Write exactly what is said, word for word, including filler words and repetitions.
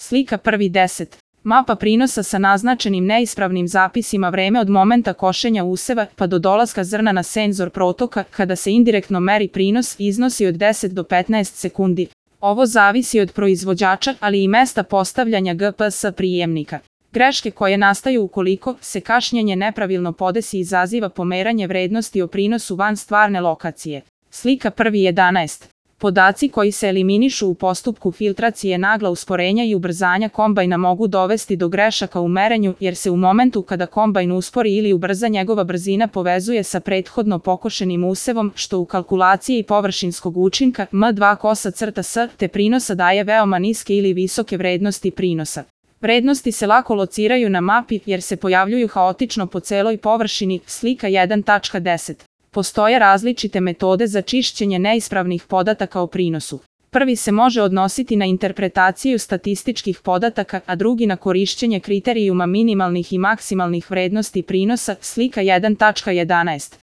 Slika prvi deset. Mapa prinosa sa naznačenim neispravnim zapisima vreme od momenta košenja useva pa do dolaska zrna na senzor protoka kada se indirektno meri prinos iznosi od deset do petnaest sekundi. Ovo zavisi od proizvođača, ali i mesta postavljanja G P S prijemnika. Greške koje nastaju ukoliko se kašnjenje nepravilno podesi izaziva pomeranje vrednosti o prinosu van stvarne lokacije. Slika prvi jedanaest. Podaci koji se eliminišu u postupku filtracije nagla usporenja i ubrzanja kombajna mogu dovesti do grešaka u merenju jer se u momentu kada kombajn uspori ili ubrza njegova brzina povezuje sa prethodno pokošenim usevom što u kalkulaciji površinskog učinka M dva kosa crta S te prinosa daje veoma niske ili visoke vrednosti prinosa. Vrednosti se lako lociraju na mapi jer se pojavljuju haotično po celoj površini. Slika jedan tačka deset. Postoje različite metode za čišćenje neispravnih podataka o prinosu. Prvi se može odnositi na interpretaciju statističkih podataka, a drugi na korišćenje kriterijuma minimalnih i maksimalnih vrednosti prinosa. Slika jedan tačka jedanaest.